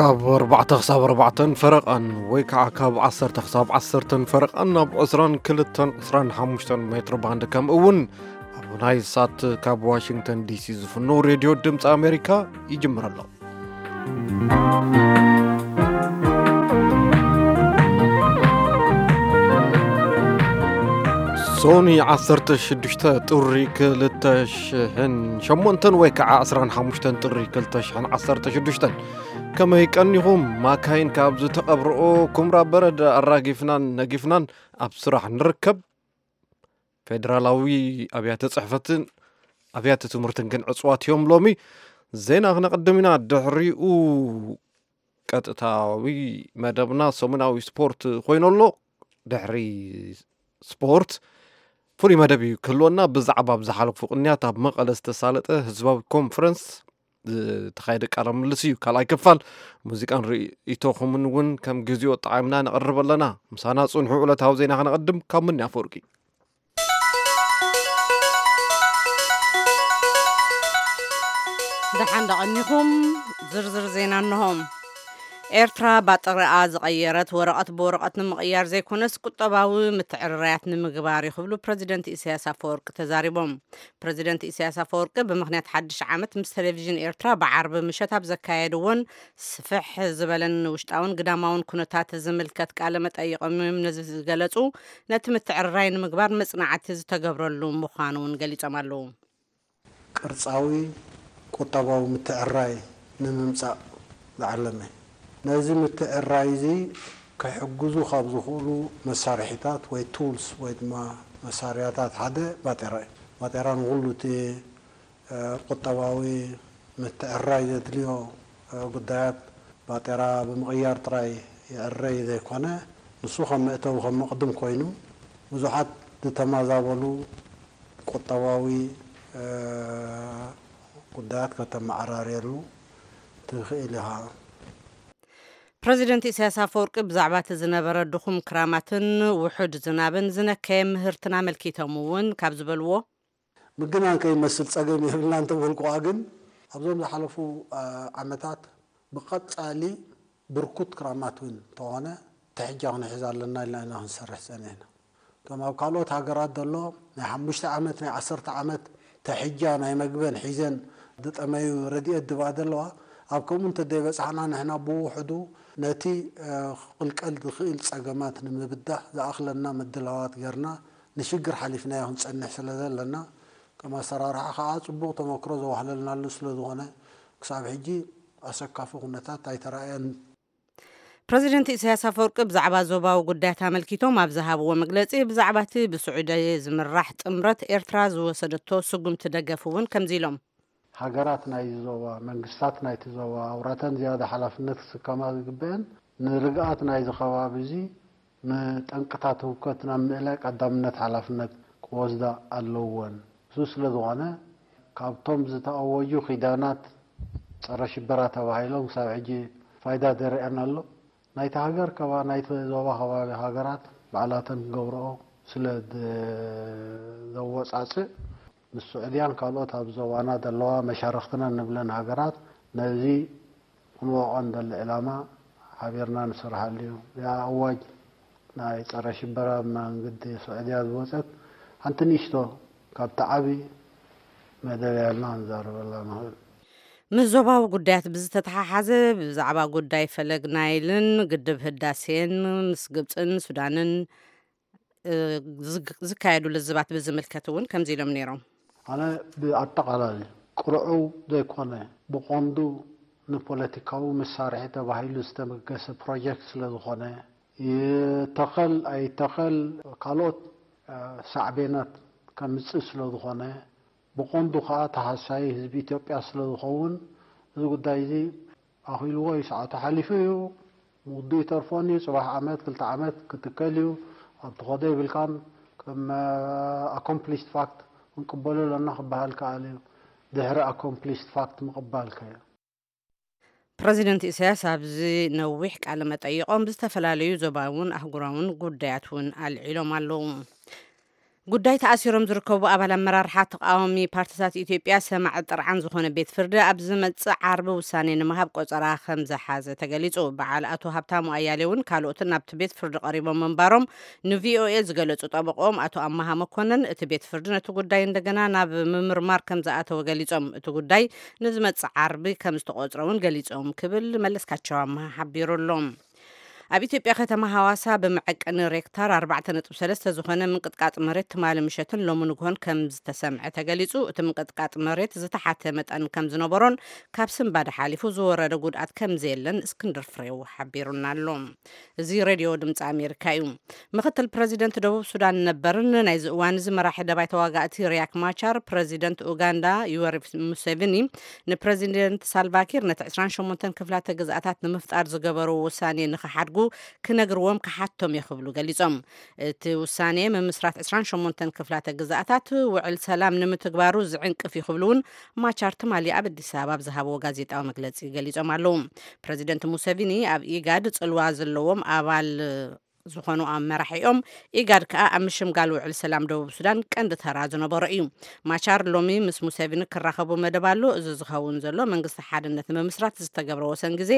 ካብ ኣርባዕተ ክሳብ ኣርባዕተን ፈረቓን ወይ ከዓ ካብ ዓሰርተ ክሳብ ዓሰርተን ፈረቓን ኣብ ዕስራን ክልተን ዕስራን ሓሙሽተን ሜትሮ ባንድ፣ ከምኡ እውን ኣብ ናይ ሳት ካብ ዋሽንግተን ዲሲ ዝፍኖ ሬድዮ ድምፂ ኣሜሪካ ይጅምር ኣሎ። ሶኒ ዓሰርተ ሽዱሽተ ጥሪ ክልተ ሽሕን ሸሞንተን ወይ ከዓ ዕስራን ሓሙሽተን ጥሪ ክልተ ሽሕን ዓሰርተ ሽዱሽተን። ከመይ ቀኒኹም? ማካይን ካብ ዝተቐብረኦ ኩምራ በረድ ኣራጊፍናን ነጊፍናን ኣብ ስራሕ ንርከብ። ፌደራላዊ ኣብያተ ጽሕፈትን ኣብያተ ትምህርትን ግን ዕጽዋት እዮም። ሎሚ ዜና ክነቐድም ኢና። ድሕሪኡ ቀጥታዊ መደብና ሰሙናዊ ስፖርት ኮይኑ ኣሎ። ድሕሪ ስፖርት ፍሉይ መደብ እዩ ክህልወና። ብዛዕባ ኣብ ዝሓለፉ ቅንያት ኣብ መቐለ ዝተሳለጠ ህዝባዊ ኮንፈረንስ ዝተኻየደ ቃለ ምልልስ እዩ። ካልኣይ ክፋል ሙዚቃን ርእይቶኹምን እውን ከም ግዜኡ ኣጠዓዒምና ነቕርብ ኣለና። ምሳና ጽንሑ። ዕለታዊ ዜና ከነቐድም ካብ ምኒ ኣፈወርቂ። ደሓን ደቐኒኹም። ዝርዝር ዜና እንሆ። ኤርትራ ባጥሪኣ ዝቐየረት ወረቐት ብወረቐት ንምቕያር ዘይኮነስ ቁጠባዊ ምትዕርራያት ንምግባር እዩ ክብሉ ፕረዚደንት ኢሳያስ ኣፈወርቂ ተዛሪቦም። ፕረዚደንት ኢሳያስ ኣፈወርቂ ብምኽንያት ሓድሽ ዓመት ምስ ቴሌቪዥን ኤርትራ ብዓርቢ ምሸት ኣብ ዘካየድዎን ስፍሕ ዝበለን ውሽጣውን ግዳማውን ኩነታት ዝምልከት ቃለ መጠይቆም እዮም ነዚ ዝገለጹ። ነቲ ምትዕርራይ ንምግባር መጽናዕቲ ዝተገብረሉ ምዃኑ እውን ገሊጾም ኣለዉ። ቅርጻዊ ቁጠባዊ ምትዕርራይ ንምምጻእ ዝዓለመ። ነዚ ምትዕርራይ እዚ ክሕግዙ ካብ ዝኽእሉ መሳርሒታት ወይ ቱልስ ወይ ድማ መሳርያታት ሓደ ባጤራ እዩ። ባጤራ ንኹሉ እቲ፣ እ፣ ቁጠባዊ ምትዕርራይ ዘድልዮ፣ እ፣ ጉዳያት ባጤራ ብምቕያር ጥራይ ይዕረይ ዘይኮነ፣ ንሱ ከም መእተዊ ከም መቕድም ኮይኑ ብዙሓት ዝተመዛበሉ ቁጠባዊ፣ እ፣ ጉዳያት ከተመዓራርየሉ ትኽእል ኢኻ። ፕረዚደንት ኢሳያስ ኣፈወርቂ ብዛዕባ እቲ ዝነበረ ድኹም ክራማትን ውሑድ ዝናብን ዝነከየ ምህርትን ኣመልኪቶም እውን ካብ ዝበልዎ፣ ምግናን ከይመስል ጸገም የብልና እንተበልኩዋ ግን ኣብዞም ዝሓለፉ፣ እ፣ ዓመታት ብቐጻሊ ብርኩት ክራማት እውን እንተኾነ ተሕጃ ክንሕዝ ኣለና ኢልና ኢና ክንሰርሕ ጸኒሕና። ከም ኣብ ካልኦት ሃገራት ዘሎ ናይ ሓሙሽተ ዓመት፣ ናይ ዓሰርተ ዓመት ተሕጃ ናይ መግበን ሒዘን ዝጠመዩ ረድኤት ድባ ዘለዋ፣ ኣብ ከምኡ እንተደይበጽሓና ንሕና ብውሕዱ ነቲ፣ እ፣ ክቕልቀል ዝኽእል ጸገማት ንምብዳህ ዝኣኽለና ምድላዋት ጌርና ንሽግር ሓሊፍናዮ ክንጸንሕ ስለ ዘለና፣ ከም ኣሰራርሓ ከኣ ጽቡቕ ተመክሮ ዘዋህለልናሉ ስለ ዝኾነ፣ ክሳብ ሕጂ ኣሰካፊ ኩነታት ኣይተራእየን። ፕረዚደንት ኢሳያስ ኣፈወርቂ ብዛዕባ ዞባዊ ጉዳያት ኣመልኪቶም ኣብ ዝሃብዎ መግለጺ፣ ብዛዕባ እቲ ብስዑዲ ዝምራሕ ጥምረት ኤርትራ ዝወሰደቶ ስጉምቲ ደገፍ እውን ከምዚ ኢሎም። ሃገራት ናይዚ ዞባ፣ መንግስታት ናይቲ ዞባ፣ ኣውራተን ዝያዳ ሓላፍነት ክስከማ ዝግበአን ንርግኣት ናይዚ ከባቢ እዚ፣ ንጠንቅታት ህውከት ናብ ምእላይ ቀዳምነት ሓላፍነት ክወስዳ ኣለወን። እሱ ስለ ዝኾነ፣ ካብቶም ዝተኣወጁ ኪዳናት ጸረ ሽበራ ተባሂሎም ክሳብ ሕጂ ፋይዳ ደርአን ኣሎ። ናይቲ ሃገር ከባ-፣ ናይቲ ዞባ ከባቢ ሃገራት ባዕላተን ክገብርኦ ስለ ድ-፣ ዘወጻጽእ፣ ምስ ስዑድያን ካልኦት ኣብ ዞባና ዘለዋ መሻርኽትና ንብለን ሃገራት ነዚ ክንወቕዖ ንደሊ ዕላማ ሓቢርና ንሰርሓሉ እዩ። እዚኣ ኣዋጅ ናይ ጸረ ሽበራ መንግዲ ስዑድያ ዝወጸት ሓንቲ ንእሽቶ ካብቲ ዓቢ መደብ እያ ኢልና ክንዛረበላ ንኽእል። ምስ ዞባዊ ጉዳያት ብዝተተሓሓዘ ብዛዕባ ጉዳይ ፈለግ ናይልን ግድብ ህዳሴን ምስ ግብጽን ሱዳንን፣ እ፣ ዝግ-፣ ዝካየዱ ልዝባት ብዝምልከት እውን ከምዚ ኢሎም ነይሮም። ኣነ ብኣጠቓላሊ ቅርዑው ዘይኮነ ብቐንዱ ንፖለቲካዊ መሳርሒ ተባሂሉ ዝተበገሰ ፕሮጀክት ስለ ዝኾነ፣ ይተኸል ኣይተኸል ካልኦት፣ እ፣ ሳዕቤናት ከምጽእ ስለ ዝኾነ፣ ብቐንዱ ከኣ ተሃሳዪ ህዝቢ ኢትዮጵያ ስለ ዝኸውን፣ እዚ ጉዳይ እዚ ኣኺልዎ እዩ፣ ሰዓቱ ሓሊፉ እዩ፣ ምውድኡ ይተርፎን እዩ፣ ጽባሕ ዓመት፣ ክልተ ዓመት ክትከል እዩ፣ ኣብ ትኸዶ ይብልካን፣ ከም፣ እ፣ ኣኮምፕሊሽድ ፋክት ክንቅበሎ ኣለና ክበሃል ከኣል እዩ። ድሕሪ ኣኮምፕሊሽድ ፋክት ምቕባል ከ? ፕረዚደንት ኢሳያስ ኣብዚ ነዊሕ ቃለ መጠይቖም ብዝተፈላለዩ ዞባውን ኣህጉራውን ጉዳያት እውን ኣልዒሎም ኣለዉ። ጉዳይ ተኣሲሮም ዝርከቡ ኣባል ኣመራርሓ ተቃዋሚ ፓርቲታት ኢትዮጵያ ሰማዒ ጥርዓን ዝኾነ ቤት ፍርዲ ኣብ ዝመጽእ ዓርቢ ውሳኔ ንምሃብ ቆጸራ ከም ዝሓዘ ተገሊጹ። በዓል ኣቶ ሃብታሙ ኣያሌውን ካልኦትን ናብቲ ቤት ፍርዲ ቀሪቦም ምንባሮም ንቪኦኤ ዝገለጹ ጠበቆም ኣቶ ኣማሃ መኮነን፣ እቲ ቤት ፍርዲ ነቲ ጉዳይ እንደገና ናብ ምምርማር ከም ዝኣተወ ገሊጾም፣ እቲ ጉዳይ ንዝመጽእ ዓርቢ ከም ዝተቆጽረ እውን ገሊጾም ክብል መለስካቸው ኣማሃ ሓቢሩ ኣሎ። ኣብ ኢትዮጵያ ከተማ ሃዋሳ ብመዐቀኒ ሬክታር ኣርባዕተ ነጥቢ ሰለስተ ዝኾነ ምንቅጥቃጥ መሬት ትማሊ ምሸትን ሎሚ ንግሆን ከም ዝተሰምዐ ተገሊጹ። እቲ ምንቅጥቃጥ መሬት ዝተሓተ መጠን ከም ዝነበሮን ካብ ስንባደ ሓሊፉ ዝወረደ ጉድኣት ከም ዘየለን እስክንድር ፍሬው ሓቢሩና ኣሎ። እዚ ሬድዮ ድምፂ ኣሜሪካ እዩ። ምክትል ፕረዚደንት ደቡብ ሱዳን ነበርን ናይዚ እዋን እዚ መራሒ ደባይ ተዋጋእቲ ሪያክ ማቻር፣ ፕረዚደንት ኡጋንዳ ዩወሪ ሙሴቪኒ ንፕረዚደንት ሳልቫኪር ነቲ ዕስራን ሸሞንተን ክፍላተ ግዝኣታት ንምፍጣር ዝገበርዎ ውሳኔ ንኽሓድጉ ክነግርዎም ክሓቶም እየ ክብሉ ገሊጾም። እቲ ውሳኔ ምምስራት ዕስራን ሸሞንተን ክፍላተ ግዝኣታት ውዕል ሰላም ንምትግባሩ ዝዕንቅፍ እዩ ክብሉ እውን ማቻር ትማሊ ኣብ ኣዲስ ኣበባ ኣብ ዝሃብዎ ጋዜጣዊ መግለጺ ገሊጾም ኣለዉ። ፕረዚደንት ሙሴቪኒ ኣብ ኢጋድ ጽልዋ ዘለዎም ኣባል ዝኾኑ ኣብ መራሒኦም፣ ኢጋድ ከኣ ኣብ ምሽምጋል ውዕል ሰላም ደቡብ ሱዳን ቀንዲ ተራ ዝነበሮ እዩ። ማቻር ሎሚ ምስ ሙሴቪኒ ክራኸቡ መደብ ኣሎ። እዚ ዝኸውን ዘሎ መንግስቲ ሓድነት ንምምስራት ዝተገብረ ወሰን ግዜ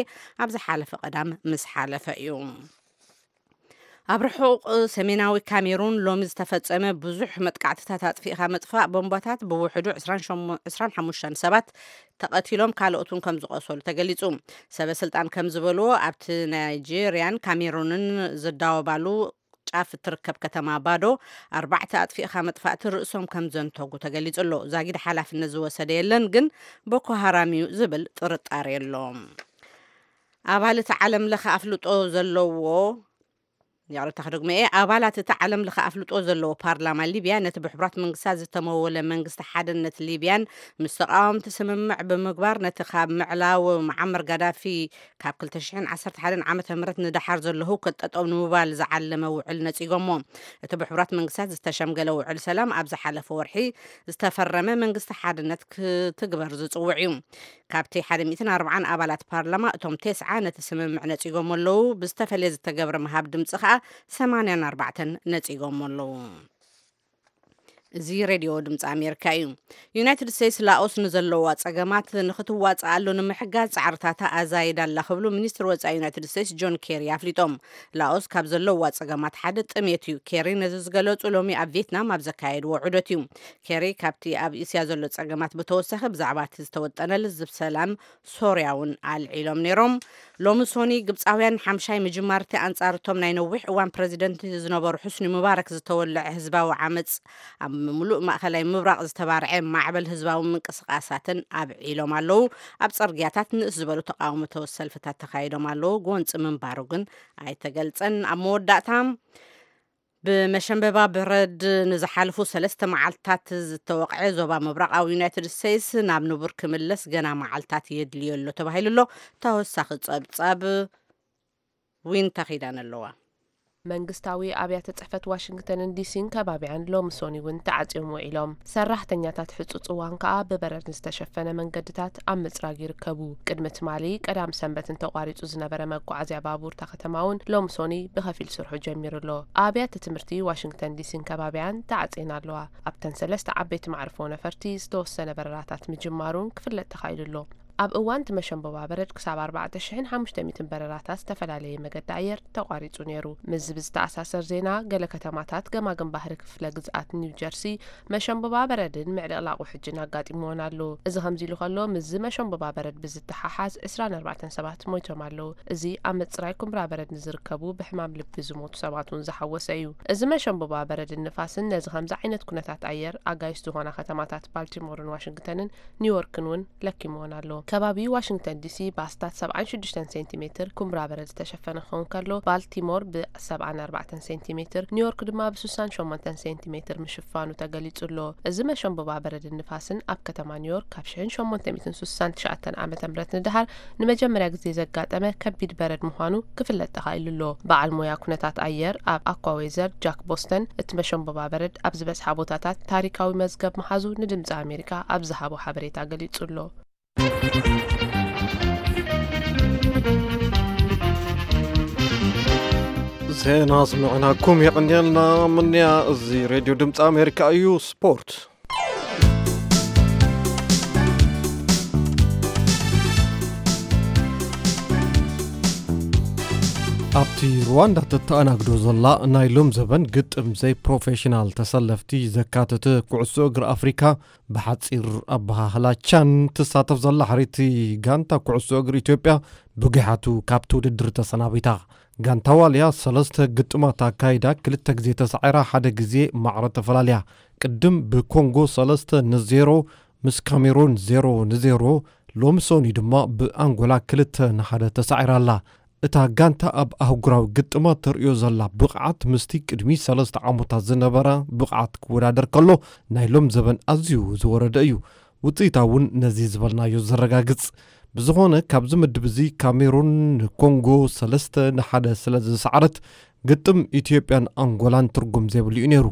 ኣብ ዝሓለፈ ቀዳም ምስ ሓለፈ እዩ። ኣብ ርሑቕ ሰሜናዊ ካሜሩን ሎሚ ዝተፈጸመ ብዙሕ መጥቃዕትታት ኣጥፊእኻ ምጥፋእ ቦምባታት ብውሕዱ ዕስራን ሓሙሽተን ሰባት ተቐቲሎም ካልኦት እውን ከም ዝቆሰሉ ተገሊጹ። ሰበ ስልጣን ከም ዝበልዎ ኣብቲ ናይጄርያን ካሜሩንን ዝዳወባሉ ጫፍ እትርከብ ከተማ ባዶ ኣርባዕተ ኣጥፊእኻ መጥፋእቲ ርእሶም ከም ዘንተጉ ተገሊጹ ኣሎ። ዛጊድ ሓላፍነት ዝወሰደ የለን፣ ግን ቦኮ ሃራም እዩ ዝብል ጥርጣሬ ኣሎ። ኣባል እቲ ዓለም ለኸ ኣፍልጦ ዘለዎ ይቕርታ ክደግሞ እየ። ኣባላት እቲ ዓለም ለኸ ኣፍልጦ ዘለዎ ፓርላማ ሊብያ ነቲ ብሕቡራት መንግስታት ዝተመወለ መንግስቲ ሓድነት ሊብያን ምስ ተቃወምቲ ስምምዕ ብምግባር ነቲ ካብ ምዕላው መዓመር ጋዳፊ ካብ ክልተ ሽሕን ዓሰርተ ሓደን ዓመተ ምህረት ንደሓር ዘሎ ህውከት ጠጠው ንምባል ዝዓለመ ውዕል ነጺጎሞ። እቲ ብሕቡራት መንግስታት ዝተሸምገለ ውዕል ሰላም ኣብ ዝሓለፈ ወርሒ ዝተፈረመ መንግስቲ ሓድነት ክትግበር ዝጽውዕ እዩ። ካብቲ ሓደ ሚእትን ኣርባዓን ኣባላት ፓርላማ እቶም ተስዓ ነቲ ስምምዕ ነጺጎሞ ኣለዉ። ብዝተፈለየ ዝተገብረ ምሃብ ድምጺ ከኣ ሰማንያን ኣርባዕተን ነጺጎሞ ኣለዉ። እዚ ሬድዮ ድምፂ ኣሜሪካ እዩ። ዩናይትድ ስቴትስ ላኦስ ንዘለዋ ጸገማት ንኽትዋጽኣሉ ንምሕጋዝ ጻዕርታታ ኣዛይዳ ኣላ ክብሉ ሚኒስትር ወጻኢ ዩናይትድ ስቴትስ ጆን ኬሪ ኣፍሊጦም። ላኦስ ካብ ዘለዋ ጸገማት ሓደ ጥሜት እዩ። ኬሪ ነዚ ዝገለጹ ሎሚ ኣብ ቪየትናም ኣብ ዘካየድዎ ዑደት እዩ። ኬሪ ካብቲ ኣብ እስያ ዘሎ ጸገማት ብተወሳኺ ብዛዕባ እቲ ዝተወጠነ ልዝብ ሰላም ሶርያ እውን ኣልዒሎም ነይሮም። ሎሚ ሶኒ ግብጻውያን ሓምሻይ ምጅማርቲ ኣንጻር እቶም ናይ ነዊሕ እዋን ፕረዚደንት ዝነበሩ ሑስኒ ሙባረክ ዝተወልዐ ህዝባዊ ዓመጽ ኣብ ምሉእ ማእከላይ ምብራቕ ዝተባርዐ ማዕበል ህዝባዊ ምንቅስቃሳትን ኣብዒሎም ኣለዉ። ኣብ ጽርግያታት ንእስ ዝበሉ ተቃውሞ ሰልፍታት ተኻይዶም ኣለዉ። ጎንጺ ምንባሩ ግን ኣይተገልጸን። ኣብ መወዳእታ ብመሸንበባ በረድ ንዝሓለፉ ሰለስተ መዓልትታት ዝተወቕዐ ዞባ ምብራቓዊ ዩናይትድ ስቴትስ ናብ ንቡር ክምለስ ገና መዓልታት የድልዮ ኣሎ ተባሂሉ ኣሎ። ተወሳኺ ጸብጻብ ዊንታ ኺዳን ኣለዋ። መንግስታዊ ኣብያተ ጽሕፈት ዋሽንግተንን ዲሲን ከባቢያን ሎሚ ሶኒ እውን ተዓጽዮም ውዒሎም። ሰራሕተኛታት ሕጹጽ እዋን ከኣ ብበረድ ዝተሸፈነ መንገድታት ኣብ ምጽራግ ይርከቡ። ቅድሚ ትማሊ ቀዳም ሰንበት እንተቋሪጹ ዝነበረ መጓዓዝያ ባቡር እታ ከተማ እውን ሎሚ ሶኒ ብኸፊል ስርሑ ጀሚሩ ኣሎ። ኣብያተ ትምህርቲ ዋሽንግተን ዲሲን ከባቢያን ተዓጽየን ኣለዋ። ኣብተን ሰለስተ ዓበይቲ መዕርፎ ነፈርቲ ዝተወሰነ በረራታት ምጅማሩን ክፍለጥ ተኻኢሉ ኣሎ። ኣብ እዋን እቲ መሸንበባ በረድ ክሳብ ኣርባዕተ ሽሕን ሓሙሽተ ሚእትን በረራታት ዝተፈላለየ መገዲ ኣየር ተቋሪጹ ነይሩ። ምስዚ ብዝተኣሳሰር ዜና፣ ገለ ከተማታት ገማግም ባህሪ ክፍለ ግዝኣት ኒው ጀርሲ መሸንበባ በረድን ምዕልቕላቕ ውሕጅን ኣጋጢምዎን ኣሎ። እዚ ከምዚ ኢሉ ከሎ፣ ምስዚ መሸንበባ በረድ ብዝተሓሓዝ ዕስራን ኣርባዕተን ሰባት ሞይቶም ኣለዉ። እዚ ኣብ ምጽራይ ኩምራ በረድ ንዝርከቡ ብሕማም ልቢ ዝሞቱ ሰባት እውን ዝሓወሰ እዩ። እዚ መሸንበባ በረድን ንፋስን ነዚ ከምዚ ዓይነት ኩነታት ኣየር ኣጋይሽ ዝኾና ከተማታት ባልቲሞርን ዋሽንግተንን ኒውዮርክን እውን ለኪምዎን ኣሎ። ከባቢ ዋሽንግተን ዲሲ ብኣስታት ሰብዓን ሽዱሽተን ሴንቲሜትር ኩምራ በረድ ዝተሸፈነ ክኸውን ከሎ፣ ባልቲሞር ብሰብዓን ኣርባዕተን ሴንቲሜትር፣ ኒውዮርክ ድማ ብስሳን ሸሞንተን ሴንቲሜትር ምሽፋኑ ተገሊጹ ኣሎ። እዚ መሸንበባ በረድን ንፋስን ኣብ ከተማ ኒውዮርክ ካብ ሽሕን ሸሞንተ ሚእትን ስሳን ትሽዓተን ዓመተ ምህረት ንደሓር ንመጀመርያ ግዜ ዘጋጠመ ከቢድ በረድ ምዃኑ ክፍለጥ ተኻኢሉ ኣሎ። በዓል ሞያ ኩነታት ኣየር ኣብ ኣኳዌዘር ጃክ ቦስተን፣ እቲ መሸንበባ በረድ ኣብ ዝበዝሓ ቦታታት ታሪካዊ መዝገብ ምሓዙ ንድምጺ ኣሜሪካ ኣብ ዝሃቦ ሓበሬታ ገሊጹ ኣሎ። ዜና ኣስምዕናኩም የቐንየልና። ምንያ፣ እዚ ሬድዮ ድምፂ ኣሜሪካ እዩ። ስፖርት። ኣብቲ ሩዋንዳ ተተኣናግዶ ዘላ ናይ ሎም ዘበን ግጥም ዘይፕሮፌሽናል ተሰለፍቲ ዘካተተ ኩዕሶ እግሪ ኣፍሪካ፣ ብሓፂር ኣበሃህላ ቻን ትሳተፍ ዘላ ሕሪቲ ጋንታ ኩዕሶ እግሪ ኢትዮጵያ ብጉሓቱ ካብቲ ውድድር ተሰናቢታ። ጋንታ ዋልያ ሰለስተ ግጥማት ኣካይዳ፣ ክልተ ግዜ ተሳዒራ፣ ሓደ ግዜ ማዕረ ተፈላልያ። ቅድም ብኮንጎ ሰለስተ ንዜሮ፣ ምስ ካሜሩን ዜሮ ንዜሮ፣ ሎሚ ሰኑይ ድማ ብኣንጎላ ክልተ ንሓደ ተሳዒራ ኣላ። እታ ጋንታ ኣብ ኣህጉራዊ ግጥማት ተርእዮ ዘላ ብቕዓት ምስቲ ቅድሚ ሰለስተ ዓመታት ዝነበራ ብቕዓት ክወዳደር ከሎ፣ ናይ ሎም ዘበን ኣዝዩ ዝወረደ እዩ። ውጽኢታ እውን ነዚ ዝበልናዮ ዘረጋግጽ። ብዝኾነ፣ ካብዚ ምድብ እዚ ካሜሩን ንኮንጎ ሰለስተ ንሓደ ስለ ዝሰዓረት፣ ግጥም ኢትዮጵያን ኣንጎላን ትርጉም ዘይብሉ እዩ ነይሩ።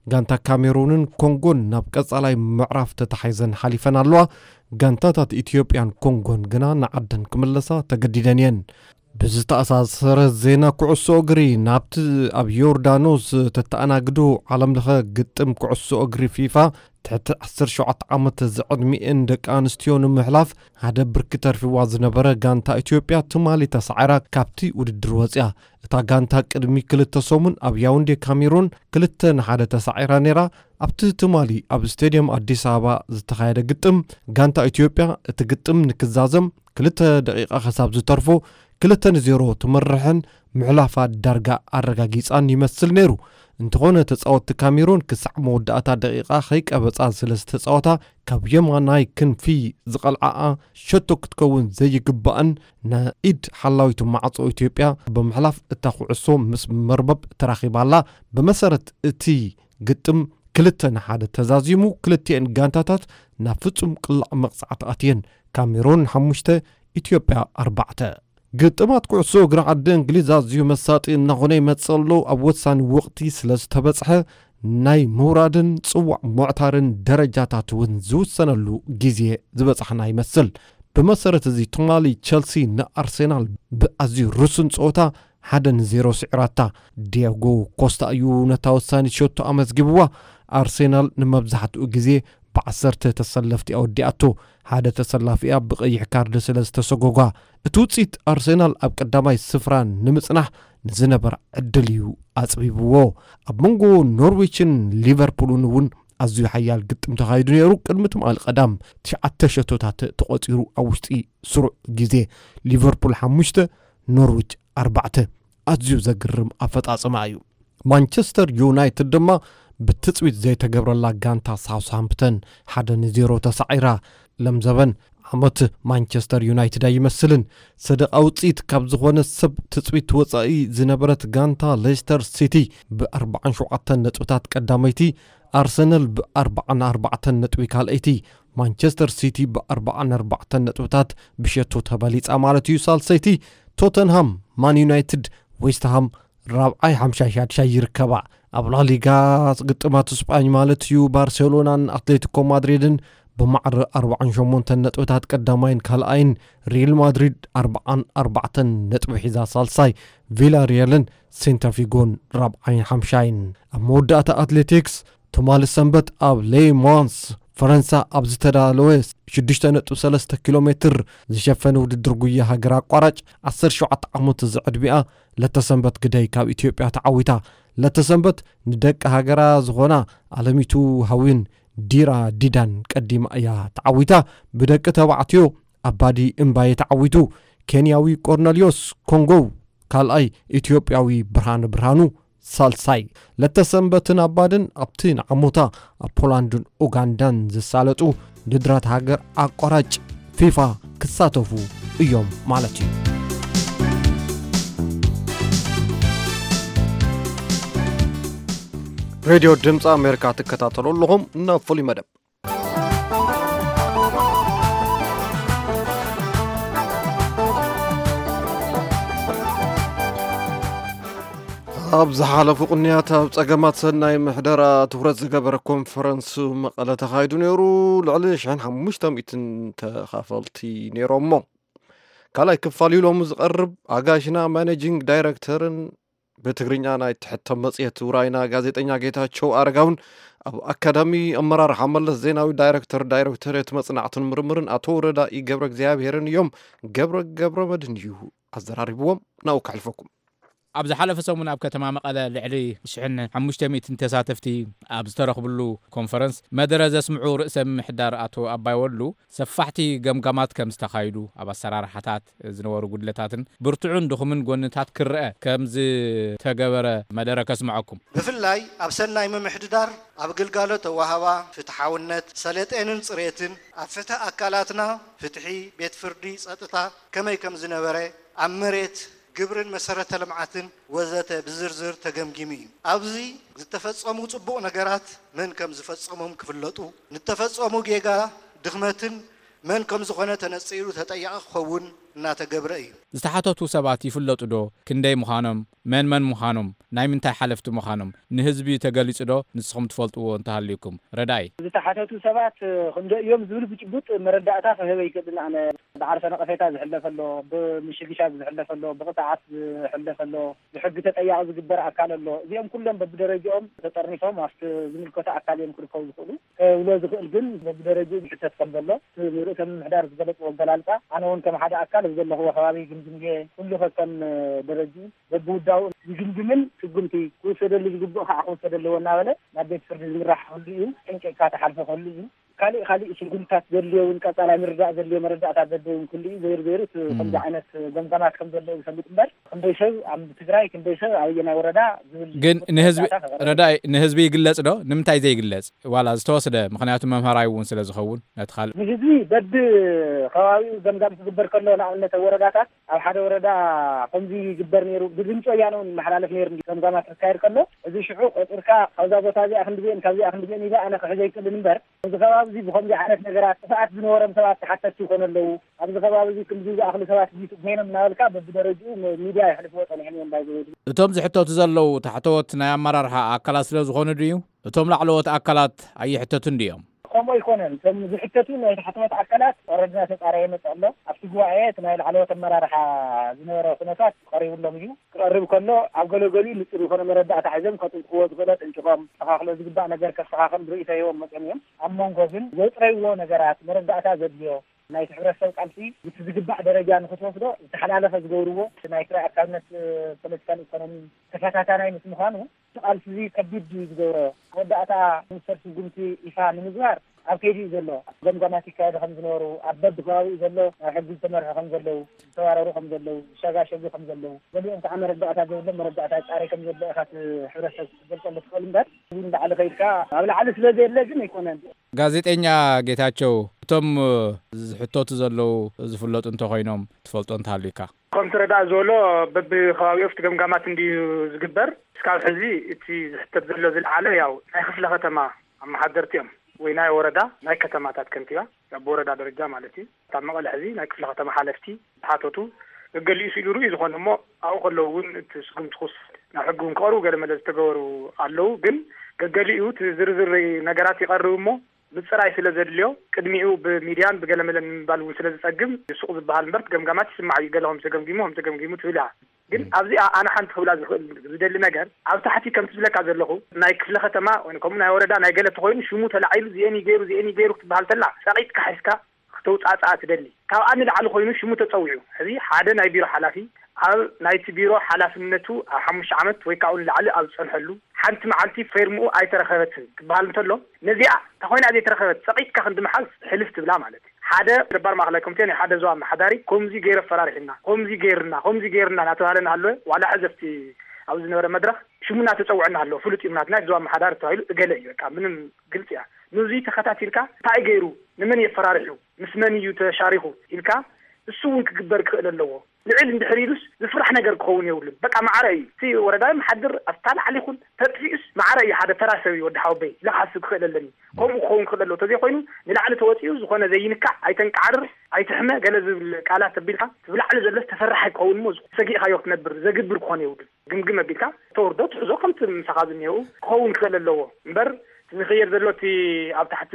ጋንታ ካሜሩንን ኮንጎን ናብ ቀጻላይ ምዕራፍ ተታሒዘን ሓሊፈን ኣለዋ። ጋንታታት ኢትዮጵያን ኮንጎን ግና ንዓደን ክምለሳ ተገዲደን እየን። ብዝተኣሳሰረ ዜና ኩዕሶ እግሪ፣ ናብቲ ኣብ ዮርዳኖስ ተተኣናግዶ ዓለምለኸ ግጥም ኩዕሶ እግሪ ፊፋ፣ ትሕቲ ዓሰርተ ሸውዓተ ዓመት ዝዕድሚኤን ደቂ ኣንስትዮ ንምሕላፍ ሓደ ብርኪ ተርፊዋ ዝነበረ ጋንታ ኢትዮጵያ ትማሊ ተሳዒራ ካብቲ ውድድር ወፂኣ። እታ ጋንታ ቅድሚ ክልተ ሰሙን ኣብ ያውንዴ ካሜሩን ክልተ ንሓደ ተሳዒራ ነይራ። ኣብቲ ትማሊ ኣብ ስቴድየም ኣዲስ ኣበባ ዝተኻየደ ግጥም፣ ጋንታ ኢትዮጵያ እቲ ግጥም ንክዛዘም ክልተ ደቂቃ ክሳብ ዝተርፎ ክልተ ንዜሮ ትመርሕን ምሕላፋ ዳርጋ ኣረጋጊጻን ይመስል ነይሩ። እንተኾነ፣ ተጻወትቲ ካሜሩን ክሳዕ መወዳእታ ደቂቃ ከይቀበጻ ስለ ዝተጻወታ፣ ካብ የማናይ ክንፊ ዝቐልዓኣ ሸቶ ክትከውን ዘይግባእን ንኢድ ሓላዊቱ ማዕጾ ኢትዮጵያ ብምሕላፍ እታ ኩዕሶ ምስ መርበብ ተራኺባ ኣላ። ብመሰረት እቲ ግጥም ክልተ ንሓደ ተዛዚሙ፣ ክልቲኤን ጋንታታት ናብ ፍጹም ቅላዕ መቕጻዕቲ ኣትየን። ካሜሩን ሓሙሽተ፣ ኢትዮጵያ ኣርባዕተ። ግጥማት ኩዕሶ እግሪ ዓዲ እንግሊዝ ኣዝዩ መሳጢ እናኾነ ይመጽእ ኣሎ። ኣብ ወሳኒ ወቕቲ ስለ ዝተበጽሐ፣ ናይ ምውራድን ጽዋዕ ምዕታርን ደረጃታት እውን ዝውሰነሉ ግዜ ዝበጻሕና ይመስል። ብመሰረት እዚ፣ ትማሊ ቸልሲ ንኣርሴናል ብኣዝዩ ርሱን ጸወታ ሓደ ንዜሮ ስዒራታ። ዲያጎ ኮስታ እዩ ነታ ወሳኒት ሸቶ ኣመዝጊብዋ። ኣርሴናል ንመብዛሕትኡ ግዜ ብዓሰርተ ተሰለፍቲ ኣወዲኣቶ። ሓደ ተሰላፊ እያ ብቐይሕ ካርድ ስለ ዝተሰጎጓ። እቲ ውጽኢት ኣርሴናል ኣብ ቀዳማይ ስፍራ ንምጽናሕ ንዝነበራ ዕድል እዩ ኣጽቢብዎ። ኣብ መንጎ ኖርዊችን ሊቨርፑልን እውን ኣዝዩ ሓያል ግጥም ተኻይዱ ነይሩ። ቅድሚ ትማሊ ቀዳም ትሽዓተ ሸቶታት ተቖጺሩ ኣብ ውሽጢ ስሩዕ ግዜ። ሊቨርፑል ሓሙሽተ፣ ኖርዊች ኣርባዕተ። ኣዝዩ ዘግርም ኣፈጻጽማ እዩ። ማንቸስተር ዩናይትድ ድማ ብትጽቢት ዘይተገብረላ ጋንታ ሳውስሃምፕተን ሓደ ንዜሮ ተሳዒራ። ለምዘበን ዓመት ማንቸስተር ዩናይትድ ኣይመስልን። ሰደቓ ውጽኢት ካብ ዝኾነ ሰብ ትጽቢት ወጻኢ ዝነበረት ጋንታ ሌስተር ሲቲ ብ ኣርባዓን ሸውዓተን ነጥብታት ቀዳመይቲ፣ ኣርሰናል ብ ኣርባዓን ኣርባዕተን ነጥቢ ካልኣይቲ፣ ማንቸስተር ሲቲ ብ ኣርባዓን ኣርባዕተን ነጥብታት ብሸቶ ተበሊጻ ማለት እዩ ሳልሰይቲ፣ ቶተንሃም፣ ማን ዩናይትድ፣ ዌስትሃም ራብዓይ ሓምሻይ ሻድሻይ ይርከባ። ኣብ ላሊጋ ግጥማት ስጳኝ ማለት እዩ፣ ባርሴሎናን ኣትሌቲኮ ማድሪድን ብማዕረ ኣርባዓን ሸሞንተን ነጥብታት ቀዳማይን ካልኣይን፣ ሪል ማድሪድ ኣርባዓን ኣርባዕተን ነጥቢ ሒዛ ሳልሳይ፣ ቪላሪያልን ሴንታፊጎን ራብዓይን ሓምሻይን። ኣብ መወዳእታ ኣትሌቲክስ፣ ትማሊ ሰንበት ኣብ ሌ ማንስ ፈረንሳ ኣብ ዝተዳለወ ሽዱሽተ ነጥቢ ሰለስተ ኪሎ ሜትር ዝሸፈነ ውድድር ጉያ ሃገር ኣቋራጭ ዓሰርተ ሸውዓተ ዓመት ዝዕድሚኣ ለተሰንበት ግደይ ካብ ኢትዮጵያ ተዓዊታ። ለተሰንበት ንደቂ ሃገራ ዝኾና ኣለሚቱ ሃዊን ዲራ ዲዳን ቀዲማ እያ ተዓዊታ። ብደቂ ተባዕትዮ ኣባዲ እምባየ ተዓዊቱ። ኬንያዊ ቆርነልዮስ ኮንጎው ካልኣይ፣ ኢትዮጵያዊ ብርሃነ ብርሃኑ ሳልሳይ። ለተሰንበትን ኣባድን ኣብቲ ንዓሞታ ኣብ ፖላንድን ኡጋንዳን ዝሳለጡ ውድድራት ሃገር ኣቋራጭ ፊፋ ክሳተፉ እዮም ማለት እዩ። ሬድዮ ድምፂ ኣሜሪካ ትከታተሉ ኣለኹም። ናብ ፍሉይ መደብ። ኣብ ዝሓለፉ ቅንያት ኣብ ጸገማት ሰናይ ምሕደራ ትኹረት ዝገበረ ኮንፈረንስ መቐለ ተኻይዱ ነይሩ። ልዕሊ ሽሕን ሓሙሽተ ሚእትን ተኻፈልቲ ነይሮሞ። ካልኣይ ክፋል እዩ ሎሚ ዝቐርብ። ኣጋሽና ማኔጂንግ ዳይረክተርን ብትግርኛ ናይ ትሕተም መጽሔት ውራይና ጋዜጠኛ ጌታቸው ኣረጋውን ኣብ ኣካዳሚ ኣመራርሓ መለስ ዜናዊ ዳይረክተር ዳይሬክቶሬት መጽናዕትን ምርምርን ኣቶ ረዳኢ ገብረ እግዚኣብሔርን እዮም። ገብረ ገብረ መድህን እዩ ኣዘራሪብዎም። ናብኡ ከሕልፈኩም። ኣብ ዝሓለፈ ሰሙን ኣብ ከተማ መቐለ ልዕሊ ሽሕን ሓሙሽተ ሚእትን ተሳተፍቲ ኣብ ዝተረኽብሉ ኮንፈረንስ መደረ ዘስምዑ ርእሰ ምምሕዳር ኣቶ ኣባይ ወሉ ሰፋሕቲ ገምጋማት ከም ዝተኻይዱ፣ ኣብ ኣሰራርሓታት ዝነበሩ ጉድለታትን ብርቱዕን ድኹምን ጎንታት ክረአ ከም ዝተገበረ መደረ ከስምዐኩም። ብፍላይ ኣብ ሰናይ ምምሕድዳር፣ ኣብ ግልጋሎት ኣወሃባ፣ ፍትሓውነት፣ ሰለጤንን ጽሬትን፣ ኣብ ፍትሒ ኣካላትና፣ ፍትሒ፣ ቤት ፍርዲ፣ ጸጥታ ከመይ ከም ዝነበረ፣ ኣብ መሬት፣ ግብርን መሰረተ ልምዓትን ወዘተ ብዝርዝር ተገምጊሙ እዩ። ኣብዚ ዝተፈጸሙ ጽቡቕ ነገራት መን ከም ዝፈጸሞም ክፍለጡ፣ ንተፈጸሙ ጌጋ፣ ድኽመትን መን ከም ዝኾነ ተነጺሩ ተጠያቒ ክኸውን እናተገብረ እዩ። ዝተሓተቱ ሰባት ይፍለጡ ዶ? ክንደይ ምዃኖም? መን መን ምዃኖም? ናይ ምንታይ ሓለፍቲ ምዃኖም ንህዝቢ ተገሊጹ ዶ? ንስኹም ትፈልጥዎ እንተሃልዩኩም። ረዳይ። ዝተሓተቱ ሰባት ክንደይ እዮም ዝብል ብጭቡጥ መረዳእታ ክህብ ኣይክእልን። ኣነ ብዓርሰ ነቐፌታ ዝሕለፍ ኣሎ፣ ብምሽግሻግ ዝሕለፍ ኣሎ፣ ብቕፅዓት ዝሕለፍ ኣሎ፣ ብሕጊ ተጠያቒ ዝግበር ኣካል ኣሎ። እዚኦም ኩሎም በብደረጃኦም ተጠርኒፎም ኣብቲ ዝምልከቶ ኣካል እዮም ክርከቡ ዝኽእሉ። ከብሎ ዝኽእል ግን በብደረጃኡ ዝሕተት ከም ዘሎ እቲ ርእሰ ምምሕዳር ዝገለፅዎ ኣገላልፃ፣ ኣነ እውን ከም ሓደ ኣካል ኣብ ዘለኽዎ ከባቢ ግምግምየ፣ ኩሉ ከከም ደረጃኡ በብውዳኡ ዝግምግምን ስጉምቲ ክውሰደሉ ዝግብኦ ከዓ ክውሰድ ኣለዎ እናበለ ናብ ቤት ፍርዲ ዝምራሕ ክህሉ እዩ። ጠንቂቕካ ተሓልፎ ክህሉ እዩ። ካሊእ ካሊእ ስጉምትታት ዘድልዮ እውን ቀፃላይ ምርዳእ ዘድልዮ መረዳእታት ዘድልዮ እውን ክህሉ እዩ። ዘይሩ ዘይሩ እቲ ከምዚ ዓይነት ገምጋማት ከም ዘለዎ ዝፈልጥ እምበር ክንደይ ሰብ ኣብ ትግራይ ክንደይ ሰብ ኣበየናይ ወረዳ ዝብል ግን ንህዝቢ መረዳእታ ከቐርብ ረዳይ ንህዝቢ ይግለጽ ዶ? ንምንታይ ዘይግለጽ? ዋላ ዝተወስደ ምኽንያቱ መምሃራዊ እውን ስለ ዝኸውን ነቲ ካልእ ንህዝቢ በቢ ከባቢኡ ገምጋም ክግበር ከሎ ንኣብነት ኣብ ወረዳታት ኣብ ሓደ ወረዳ ከምዚ ይግበር ነይሩ ብድምፂ ወያነ እውን ይመሓላለፍ ነይሩ እንዲ ገምጋማት ክካየድ ከሎ እዚ ሽዑ ቆፂርካ ካብዛ ቦታ እዚኣ ክንድዜን ካብዚኣ ክንድዜን ኢለ ኣነ ክሕዘ ይክእልን እምበር እዚ ከባቢ እዚ ብከምዚ ዓይነት ነገራት ጥፍኣት ዝነበሮም ሰባት ተሓተትቲ ይኾኑ ኣለዉ። ኣብዚ ከባቢ እዚ ክንዲ ዝኣኽሉ ሰባት ዲቱ ኮይኖም እናበልካ በብደረጅኡ ሚድያ የሕልፍዎ ፀኒሖም እዮም ባይዘወይ። እቶም ዝሕተቱ ዘለዉ ታሕተዎት ናይ ኣመራርሓ ኣካላት ስለ ዝኾኑ ድዩ? እቶም ላዕለዎት ኣካላት ኣይሕተቱን ድዮም? ከምኡ ኣይኮነን። እቶም ዝሕተቱ ናይ ታሕተዎት ኣካላት ኦረድና ተፃረየ መፅእ ኣሎ። ኣብቲ ጉባኤ እቲ ናይ ላዕለዎት ኣመራርሓ ዝነበረ ኩነታት ቀሪቡሎም እዩ። ክቐርብ ከሎ ኣብ ገለገሊኡ ንፁር ዝኾነ መረዳእታ ሒዞም ከጥንቅዎ ዝኽእሎ ጥንጭቆም፣ ተኻኽሎ ዝግባእ ነገር ከስተኻኽል ርእይቶ ሂቦም መፅኦም እዮም። ኣብ መንጎ ግን ዘጥረይዎ ነገራት መረዳእታ ዘድልዮ ናይቲ ሕብረተሰብ ቃልሲ ብቲ ዝግባእ ደረጃ ንክትወስዶ ዝተሓላለኸ ዝገብርዎ ናይ ትግራይ ኣካልነት ፖለቲካን ኢኮኖሚ ተፈታታናይ ምስ ምዃኑ እቲ ቃልሲ እዚ ከቢድ እዩ ዝገብሮ። መወዳእታ ሚኒስተር ስጉምቲ ይፋ ንምግባር ኣብ ከይዲ እዩ ዘሎ። ገምጋማት ይካየዱ ከም ዝነበሩ ኣብ በቢ ከባቢኡ ዘሎ ናይ ሕጊ ዝተመርሑ ከም ዘለዉ ዝተባረሩ ከም ዘለዉ ዝሸጋሸጉ ከም ዘለዉ ገሊኦም ከዓ መረዳእታ ዘይብሎም መረዳእታ ፃሪ ከም ዘሎ ኢኻ እቲ ሕብረተሰብ ክትገልፀሉ ትኽእል እምበር እዚ ንላዕሊ ከይድካ ኣብ ላዕሊ ስለ ዘየለ ግን ኣይኮነን። ጋዜጠኛ ጌታቸው እቶም ዝሕተቱ ዘለዉ ዝፍለጡ እንተኮይኖም ትፈልጦ እንተሃልዩካ? ከም ትረዳእ ዝበሎ በብከባቢኡ ኣብቲ ገምጋማት እንድዩ ዝግበር እስካብ ሕዚ እቲ ዝሕተት ዘሎ ዝለዓለ ያው ናይ ክፍለ ከተማ ኣመሓደርቲ እዮም ወይ ናይ ወረዳ ናይ ከተማታት ከንቲባ ያው ብወረዳ ደረጃ ማለት እዩ። እታ መቐለ ሕዚ ናይ ክፍለ ከተማ ሓለፍቲ ዝሓተቱ ገገሊኡ ስኢሉ ርኡ ዝኾነ እሞ ኣብኡ ከለዉ እውን እቲ ስጉምቲ ክውሰድ ናብ ሕጊ እውን ክቐርቡ ገለመለ ዝተገበሩ ኣለዉ ግን ገገሊኡ እቲ ዝርዝር ነገራት ይቐርብ እሞ ምፅራይ ስለ ዘድልዮ ቅድሚኡ ብሚድያን ብገለመለን ንምባል እውን ስለ ዝፀግም ሱቕ ዝበሃል እምበር ገምጋማት ይስማዕ እዩ ገለ ከምዚ ተገምጊሙ ከምዚ ተገምጊሙ ትብል እያ ግን ኣብዚኣ ኣነ ሓንቲ ክብላ ዝኽእል ዝደሊ ነገር ኣብ ታሕቲ ከምቲ ዝብለካ ዘለኹ ናይ ክፍለ ከተማ ወይ ከምኡ ናይ ወረዳ ናይ ገለ ተኾይኑ ሽሙ ተላዒሉ ዚኤን ገይሩ ዚኤን ገይሩ ክትበሃል ተላ ጸቒጥካ ሒዝካ ክተውጻጽኣ ትደሊ ካብኣ ንላዕሊ ኮይኑ ሽሙ ተጸዊዑ ሕዚ ሓደ ናይ ቢሮ ሓላፊ ኣብ ናይቲ ቢሮ ሓላፍነቱ ኣብ ሓሙሽተ ዓመት ወይ ካብኡ ንላዕሊ ኣብ ዝጸንሐሉ ሓንቲ መዓልቲ ፌርምኡ ኣይተረኸበትን ክበሃል እንተሎ ነዚኣ ተኾይና ዘይተረኸበት ጸቒጥካ ክንዲ መሓዝ ሕልፍ ትብላ ማለት ሓደ ነባር ማእኸላይ ኮሚቴ ናይ ሓደ ዞባ ኣመሓዳሪ ከምዚ ገይሩ ኣፈራሪሑና፣ ከምዚ ገይሩና፣ ከምዚ ገይሩና እናተባህለ እናሃለወ ዋላ ሕዚ ኣብቲ ኣብዚ ዝነበረ መድረኽ ሽሙ እናተፀውዐ እናሃለወ ፍሉጥ እዩ ናትና ዞባ ኣመሓዳሪ ተባሂሉ እገለ እዩ በቃ ምንም ግልፂ እያ። ንዙይ ተኸታቲልካ እንታይ ገይሩ፣ ንመን እዩ ኣፈራሪሑ፣ ምስ መን እዩ ተሻሪኹ ኢልካ እሱ እውን ክግበር ክኽእል ኣለዎ። ልዕል እንድሕር ኢሉስ ዝፍራሕ ነገር ክኸውን የብሉን። በቃ ማዕረ እዩ። እቲ ወረዳ ይመሓድር ኣብታ ላዕሊ ይኹን ተጥፊኡስ ማዕረ እዩ። ሓደ ተራ ሰብ እዩ ወዲ ሓወበይ ኢለ ክሓስብ ክኽእል ኣለኒ። ከምኡ ክኸውን ክኽእል ኣለዎ። ተዘይኮይኑ ንላዕሊ ተወፂኡ ዝኾነ ዘይንካዕ ኣይተንቃዕርር፣ ኣይትሕመ ገለ ዝብል ቃላት ኣቢልካ እቲ ብላዕሊ ዘሎስ ተፈራሒ ክኸውን እሞ ሰጊእካዮ ክትነብር ዘግብር ክኾን የብሉን። ግምግም ኣቢልካ ተወርዶ ትሕዞ ከምቲ ምሳኻ ዝኒሀው ክኸውን ክኽእል ኣለዎ። እምበር እቲ ዝኽየድ ዘሎ እቲ ኣብ ታሕቲ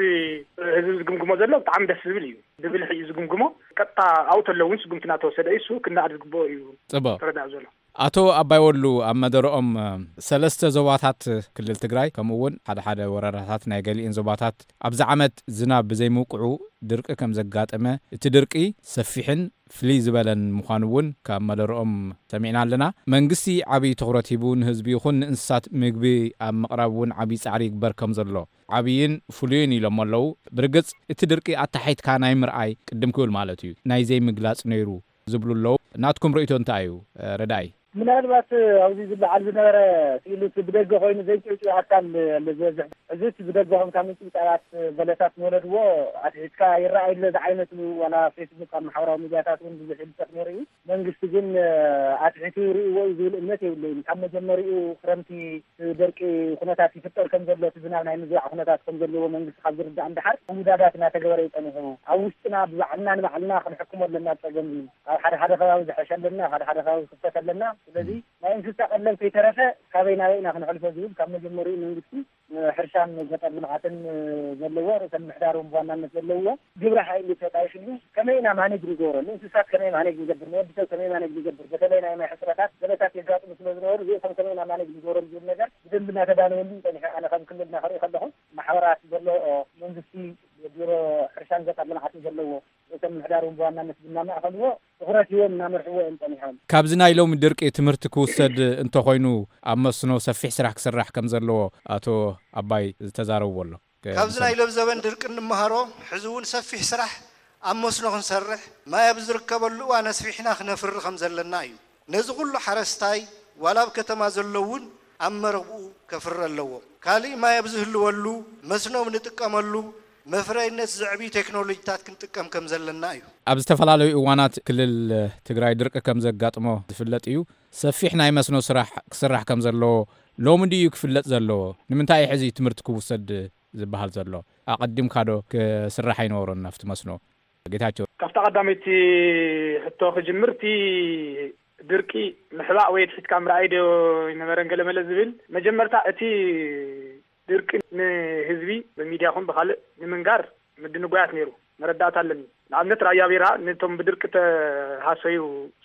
ህዝቢ ዝግምግሞ ዘሎ ብጣዕሚ ደስ ዝብል እዩ። ብብልሒ እዩ ዝግምግሞ። ቀጥታ ኣብኡ ተሎ እውን ስጉምቲ እናተወሰደ እዩ። እሱ ክነኣድ ዝግብኦ እዩ ጽቡቕ። ተረዳእ ዘሎ። ኣቶ ኣባይ ወሉ ኣብ መደረኦም፣ ሰለስተ ዞባታት ክልል ትግራይ፣ ከምኡ እውን ሓደ ሓደ ወረዳታት ናይ ገሊእን ዞባታት ኣብዚ ዓመት ዝናብ ብዘይምውቅዑ ድርቂ ከም ዘጋጠመ፣ እቲ ድርቂ ሰፊሕን ፍልይ ዝበለን ምዃኑ እውን ካብ መደረኦም ሰሚዕና ኣለና። መንግስቲ ዓብዪ ትኹረት ሂቡ ንህዝቢ ይኹን ንእንስሳት ምግቢ ኣብ ምቕራብ እውን ዓብዪ ጻዕሪ ይግበር ከም ዘሎ ዓብይን ፍሉይን ኢሎም ኣለዉ። ብርግጽ እቲ ድርቂ ኣታሒትካ ናይ ምርኣይ ቅድም ክብል ማለት እዩ ናይ ዘይምግላጽ ነይሩ ዝብሉ ኣለዉ። ናትኩም ርእይቶ እንታይ እዩ? ረዳይ። ምናልባት ኣብዚ ዝለዓል ዝነበረ ስኢሉ እቲ ብደገ ኮይኑ ዘይጭውጭው ኣካል ኣሎ ዝበዝሕ። እዚ እቲ ብደገ ኮንካ ምንጭብጫባት በለሳት ንወለድዎ ኣትሒዝካ ይረኣይ ኣሎ ዝዓይነቱ ዋላ ፌስቡክ ኣብ ማሕበራዊ ሚድያታት እውን ብዙሕ ይልጠፍ ነይሩ እዩ። መንግስቲ ግን ኣትሒቱ ይርእይዎ እዩ ዝብል እምነት የብለይን። ካብ መጀመሪኡ ክረምቲ ደርቂ ኩነታት ይፍጠር ከም ዘሎ፣ እቲ ዝናብ ናይ ምዝባዕ ኩነታት ከም ዘለዎ መንግስቲ ካብ ዝርዳእ እንደሓር ውዳዳት እናተገበረ እዩ ጸኒሑ። ኣብ ውሽጥና ብባዕልና ንባዕልና ክንሕክሞ ኣለና ጸገም እዩ። ኣብ ሓደ ሓደ ከባቢ ዝሐሸ ኣለና፣ ሓደ ሓደ ከባቢ ክፍተት ኣለና። ስለዚ ናይ እንስሳ ቀለብ ከይተረፈ ካበይ ናበይ ኢና ክንሕልፎ ዝብል ካብ መጀመሪኡ መንግስቲ ሕርሻን ገጠር ልምዓትን ዘለዎ ርእሰ ምምሕዳር እውን ብዋናነት ዘለዎ ግብረ ሓይሊ ተጣይሽሉ ከመይ ኢና ማኔጅ ንገብሮ፣ ንእንስሳት ከመይ ማኔጅ ንገብር፣ ንወዲ ሰብ ከመይ ማኔጅ ንገብር፣ በተለይ ናይ ማይ ሕፅረታት ገለታት የጋጥሙ ስለ ዝነበሩ እዚኦም ከመይ ኢና ማኔጅ ንገብሮም ዝብል ነገር ብደንብ እናተዳለወሉ እዩ ጸኒሑ። ኣነ ከም ክልልና ክርኢ ከለኹ ማሕበራት ዘሎ መንግስቲ ቢሮ ሕርሻን ገጠር ልምዓትን ዘለዎ ርእሰ ምምሕዳር እውን ብዋናነት እናማእኸልዎ ትኹረት ሂቦም እናመርሕዎ እዮም ጸኒሖም። ካብዚ ናይ ሎሚ ድርቂ ትምህርቲ ክውሰድ እንተኾይኑ ኣብ መስኖ ሰፊሕ ስራሕ ክስራሕ ከም ዘለዎ ኣቶ ኣባይ ዝተዛረብዎ ኣሎ። ከ-፣ ካብዚ ናይ ሎም ዘበን ድርቂ እንመሃሮ ሕዚ እውን ሰፊሕ ስራሕ ኣብ መስኖ ክንሰርሕ ማይ ኣብ ዝርከበሉ እዋን ኣስፊሕና ክነፍሪ ከም ዘለና እዩ። ነዚ ኩሉ ሓረስታይ ዋላ ኣብ ከተማ ዘሎ እውን ኣብ መረብኡ ከፍሪ ኣለዎ። ካሊእ ማይ ኣብ ዝህልወሉ መስኖ ንጥቀመሉ መፍረይነት ዘዕብዩ ቴክኖሎጂታት ክንጥቀም ከም ዘለና እዩ። ኣብ ዝተፈላለዩ እዋናት ክልል ትግራይ ድርቂ ከም ዘጋጥሞ ዝፍለጥ እዩ። ሰፊሕ ናይ መስኖ ስራሕ ክስራሕ ከም ዘለዎ ሎሚ ድዩ ክፍለጥ ዘለዎ? ንምንታይ እዩ ሕዚ ትምህርቲ ክውሰድ ዝበሃል ዘሎ? ኣቐዲምካ ዶ ክስራሕ ኣይነበሮን ናብቲ መስኖ? ጌታቸው። ካብታ ቀዳመይቲ ሕቶ ክጅምር፣ እቲ ድርቂ ምሕባእ ወይ ኣትሒትካ ምርኣይ ዶ ይነበረን ገለመለ ዝብል፣ መጀመርታ እቲ ድርቂ ንህዝቢ ብሚድያ ኹን ብኻልእ ንምንጋር ምድንጓያት ነይሩ፣ መረዳእታ ኣለኒ። ንኣብነት ራያ ቢራ ነቶም ብድርቂ ተሃሰዩ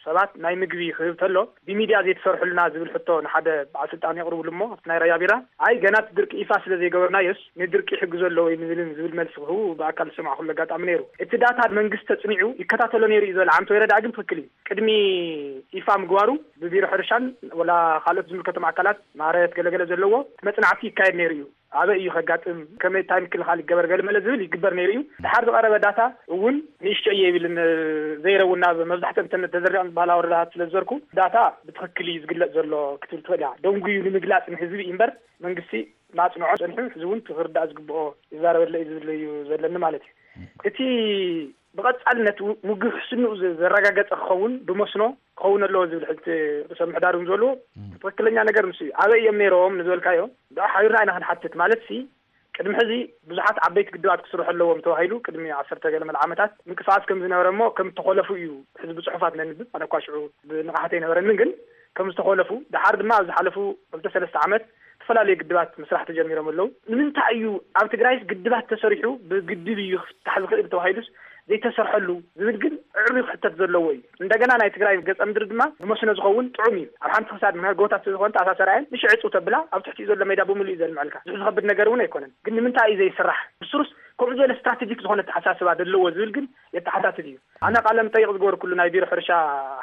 ሰባት ናይ ምግቢ ክህብ ተሎ ብሚድያ ዘይተሰርሑልና ዝብል ሕቶ ንሓደ በዓል ስልጣን የቕርብሉ እሞ ኣብቲ ናይ ራያ ቢራ ኣይ ገና እቲ ድርቂ ይፋ ስለ ዘይገበርናዮስ ንድርቂ ይሕግዞ ኣሎ ወይ ንዝልን ዝብል መልሲ ክህቡ ብኣካል ዝሰማዕኩሉ ኣጋጣሚ ነይሩ። እቲ ዳታ መንግስቲ ተጽኒዑ ይከታተሎ ነይሩ እዩ ዝበለ ዓንቶ ይረዳ ግን ትኽክል እዩ። ቅድሚ ይፋ ምግባሩ ብቢሮ ሕርሻን ወላ ካልኦት ዝምልከቶም ኣካላት ማረት ገለገለ ዘለዎ መጽናዕቲ ይካየድ ነይሩ እዩ። ኣበይ እዩ ከጋጥም፣ ከመይ፣ እንታይ ምክልኻል ይገበር ገለመለ ዝብል ይግበር ነይሩ እዩ። ድሓር ዝቐረበ ዳታ እውን ንእሽቶ እየ ይብል ን-፣ ዘይረ እውን ናብ መብዛሕትኦም እተን ተዘሪዖም ዝበሃላ ወረዳታት ስለ ዝዘርኩ ዳታ ብትኽክል እዩ ዝግለጽ ዘሎ ክትብል ትኽእል እያ። ደንጉዩ ንምግላጽ ንህዝቢ እዩ እምበር መንግስቲ ማጽንዖ ጸኒሑ ሕዚ እውን ክርዳእ ዝግብኦ ይዛረበለ እዩ ዝብል እዩ ዘለኒ ማለት እዩ። እቲ ብቐጻልነት ው-፣ ውግእ ሕስንኡ ዘ-፣ ዘረጋገጸ ክኸውን ብመስኖ ክኸውን ኣለዎ ዝብል ሕልቲ ርእሰ ምሕዳር እውን ዝበልዎ እም። ትኽክለኛ ነገር ንሱ እዩ። ኣበይ እዮም ነይሮም ንዝበልካዮ፣ ብኣ ሓቢርና ኢና ክንሓትት። ማለት ሲ፣ ቅድሚ ሕዚ ብዙሓት ዓበይቲ ግድባት ክስርሑ ኣለዎም ተባሂሉ ቅድሚ ዓሰርተ ገለ መለ ዓመታት ምንቅስቓስ ከም ዝነበረ እሞ ከም እተኾለፉ እዩ ሕዚ ብጽሑፋት ነንብብ። ኣነ እኳ ሽዑ ብንቕሓት ኣይነበረንን፣ ግን ከም ዝተኾለፉ፣ ደሓር ድማ ኣብ ዝሓለፉ ክልተ ሰለስተ ዓመት ዝተፈላለዩ ግድባት ምስራሕ ተጀሚሮም ኣለዉ። ንምንታይ እዩ ኣብ ትግራይስ ግድባት ተሰሪሑ ብግድብ እዩ ክፍታሕ ዝኽእል ተባሂሉስ ዘይተሰርሐሉ ዝብል ግን ዕዑብ ክሕተት ዘለዎ እዩ። እንደገና ናይ ትግራይ ገጸ ምድሪ ድማ ንመስኖ ዝኸውን ጥዑም እዩ። ኣብ ሓንቲ ክሳድ ምክንያት ጎቦታት ስለ ዝኾነ ተኣሳሰራ እየን። ንሽዕ ዕጽው ተብላ ኣብ ትሕቲኡ ዘሎ ሜዳ ብምሉእ እዩ ዘልምዐልካ። ብዙሕ ዝኸብድ ነገር እውን ኣይኮነን። ግን ንምንታይ እዩ ዘይስራሕ? ብስሩስ ከምኡ ዝበለ ስትራቴጂክ ዝኾነ ኣተሓሳስባ ዘለዎ ዝብል ግን የተሓታትት እዩ። ኣነ ቃለ መጠይቕ ዝገበርኩሉ ናይ ቢሮ ሕርሻ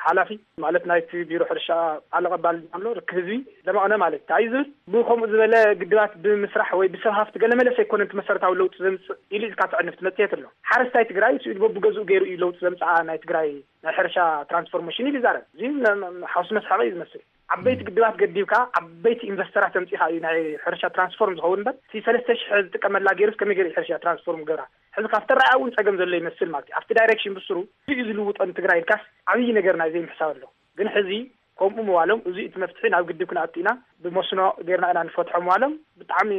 ሓላፊ፣ ማለት ናይቲ ቢሮ ሕርሻ ቃል ኣቐባል ኣሎ፣ ርክብ ህዝቢ ደመቕነ ማለት እዩ። እንታይ እዩ ዝብል? ብኸምኡ ዝበለ ግድባት ብምስራሕ ወይ ብሰብ ሃፍቲ ገለ መለስ ኣይኮነን እቲ መሰረታዊ ለውጢ ዘምጽእ ኢሉ ኢልካ ትዕንፍ ትመጽእ የትሎ። ሓረስታይ ትግራይ ስኢሉ በብገዝኡ ገይሩ እዩ ለውጢ ዘምጽኣ ናይ ትግራይ ናይ ሕርሻ ትራንስፎርሜሽን ኢሉ ይዛረብ። እዚ ም-፣ ም-፣ ሓውሲ መስሓቂ እዩ ዝመስል። ዓበይቲ ግድባት ገዲብካ ዓበይቲ ኢንቨስተራት ኣምጺኻ እዩ ናይ ሕርሻ ትራንስፎርም ዝኸውን እምበር፣ እቲ ሰለስተ ሽሕ ዝጥቀመላ ገይሩስ ከመይ ገይሩ እዩ ሕርሻ ትራንስፎርም ገብራ? ሕዚ ካብቲ ኣረኣእያ እውን ጸገም ዘሎ ይመስል ማለት እዩ። ኣብቲ ዳይሬክሽን ብስሩ እዩ ዝልውጦ ንትግራይ ኢልካስ ዓብዪ ነገር ናይ ዘይምሕሳብ ኣሎ። ግን ሕዚ ከምኡ ምባሎም፣ እዚ እቲ መፍትሒ ናብ ግድብ ክንኣቱ ኢና፣ ብመስኖ ጌርና ኢና ንፈትሖ ምባሎም ብጣዕሚ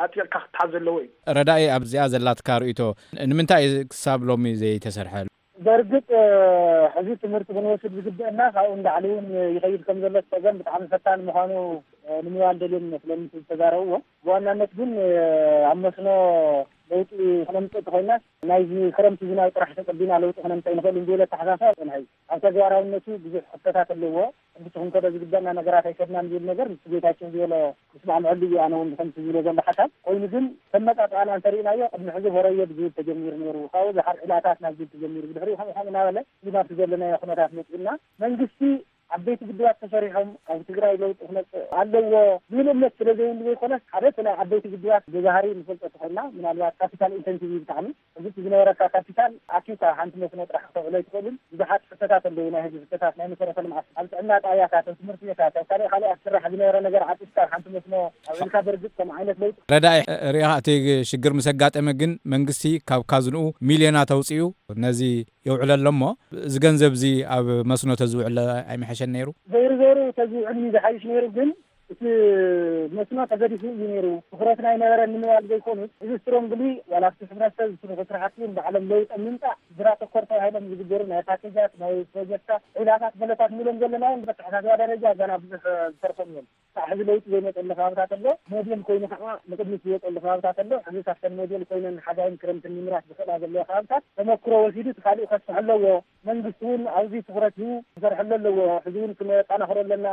ኣጥቢቕካ ክትሓዝ ዘለዎ እዩ። ረዳኢ፣ ኣብዚኣ ዘላትካ ርእይቶ፣ ንምንታይ እዩ ክሳብ ሎሚ ዘይተሰርሐ? በርግጥ፣ እ፣ ሕዚ ትምህርቲ ክንወስድ ዝግበአና ካብኡ ንላዕሊ እውን ይኸይድ ከም ዘሎ እቲ ጸገም ብጣዕሚ ፈታኒ ምዃኑ ንምባል ደልዮም ይመስለኒ እቲ ዝተዛረብዎ። ብዋናነት ግን ኣብ መስኖ ለውጢ ክነምፅእ እንተኮይናስ ናይዚ ክረምቲ ዝናብ ጥራሕ ተፀቢና ለውጢ ክነምፅእ ኣይንኽእልን ዝብል ኣተሓሳስባ ይፀንሐ እዩ። ኣብ ተግባራውነቱ ብዙሕ ክፍተታት ኣለዎ። ክንዲ ትኽንከዶ ዝግበእና ነገራት ኣይከድናን ዝብል ነገር ምስ ጌታቸው ዝበሎ ምስማዕምዐሉ እዩ። ኣነ እውን ከምቲ ዝብሎ ዘሎ ሓሳብ ኮይኑ ግን ተመጣጣና እንተሪእናዮ ቅድሚ ሕዚ ሆረዮ ብዝብል ተጀሚሩ ነይሩ። ካብኡ ዝሓር ዕላታት ናብ ዝብል ተጀሚሩ ብድሕሪኡ ከምኡ ከምኡ እናበለ እዚ ናብቲ ዘለናዮ ኩነታት መፅኡና። መንግስቲ ዓበይቲ ግድባት ተሰሪሖም ኣብ ትግራይ ለውጢ ክመፅእ ኣለዎ ዝብል እምነት ስለ ዘይብሉ ዘይኮነስ ሓደ እቲ ናይ ዓበይቲ ግድባት ብባህሪ ንፈልጦ ተኾንና ምናልባት ካፒታል ኢንተንሲቭ እዩ ብጣዕሚ። እዚ እቲ ዝነበረካ ካፒታል ኣኪብካ ሓንቲ መስኖ ጥራሕ ከተውዕሎ ኣይትኽእልን። ብዙሓት ሕቶታት ኣለዉ፣ ናይ ህዝቢ ሕቶታት፣ ናይ መሰረተ ልምዓት፣ ኣብ ጥዕና ጣብያታት፣ ኣብ ትምህርቲ ቤታት፣ ኣብ ካልእ ካልእ ኣብ ስራሕ ዝነበረ ነገር ዓጢፍካ ሓንቲ መስኖ ኣውዒልካ በርግፅ ከም ዓይነት ለውጢ ረዳኢ ርኢኻ እቲ ሽግር ምስ ኣጋጠመ ግን መንግስቲ ካብ ካዝንኡ ሚልዮናት ኣውፂኡ ነዚ የውዕለሎ እሞ እዚ ገንዘብ እዚ ኣብ መስኖ ተዝውዕለ ኣይምሐሸን ነይሩ? ዘይሩ ዘይሩ ተዝውዕል እዩ ዝሓይሽ ነይሩ ግን እቲ መስኖ ተገዲፉ እዩ ነይሩ። ትኹረት ናይ ነበረ ንምባል ዘይኮኑስ እዚ ስትሮንግሊ ዋላ ኣብቲ ሕብረተሰብ ዝስርሑ ስራሕቲ እውን ባዕሎም ለውጢ ምምፃእ ስድራ ተኮር ተባሂሎም ዝግበሩ ናይ ፓኬጃት ናይ ፕሮጀክታት ዒላታት ገለታት ንብሎም ዘለና እውን በተሓሳስባ ደረጃ ገና ብዙሕ ዝሰርሖም እዮም። ካብ ሕዚ ለውጢ ዘይመፀሉ ከባብታት ኣሎ። ሞዴል ኮይኑ ከዓ ንቅድሚት ዝወፀሉ ከባብታት ኣሎ። ሕዚ ካብተን ሞዴል ኮይነን ሓጋይን ክረምትን ምምራት ዝኽእላ ዘለዎ ከባብታት ተመክሮ ወሲዱ እቲ ካሊእ ከስፍሕ ኣለዎ። መንግስቲ እውን ኣብዚ ትኩረት ሂቡ ክሰርሐሉ ኣለዎ። ሕዚ እውን ክነጠናኽሮ ኣለና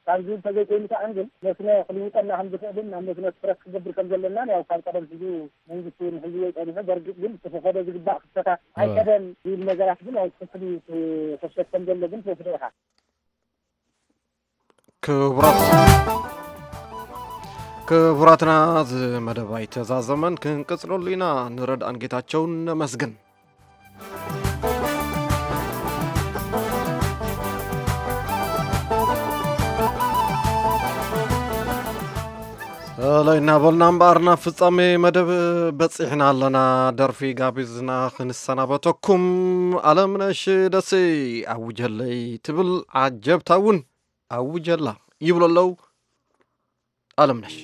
ካብ ዝብል ተዘይኮይኑ ከዓ ግን መስኖ ክልውጠና ከም ዝኽእልን ናብ መስኖ ትኩረት ክገብር ከም ዘለናን ያው ካብ ቀደም ሒዙ መንግስቲ እውን ሒዝዎ ይፀኒሑ። በርግጥ ግን እቲ ክኸዶ ዝግባእ ክፍተታት ኣይከደን ዝብል ነገራት ግን ያው ትኽክል እዩ። ክፍተት ከም ዘሎ ግን ትወስዶ ኢኻ። ክቡራት ክቡራትና፣ እዚ መደብ ኣይተዛዘመን፣ ክንቅጽለሉ ኢና። ንረድኣን ጌታቸውን ነመስግን። ሰለይ እናበልና እምበኣር ናብ ፍጻሜ መደብ በጺሕና ኣለና። ደርፊ ጋቢዝና ክንሰናበተኩም። ኣለምነሽ ደሴ ኣውጀለይ ትብል፣ ዓጀብታ እውን ኣውጀላ ይብሉ ኣለዉ። ኣለምነሽ።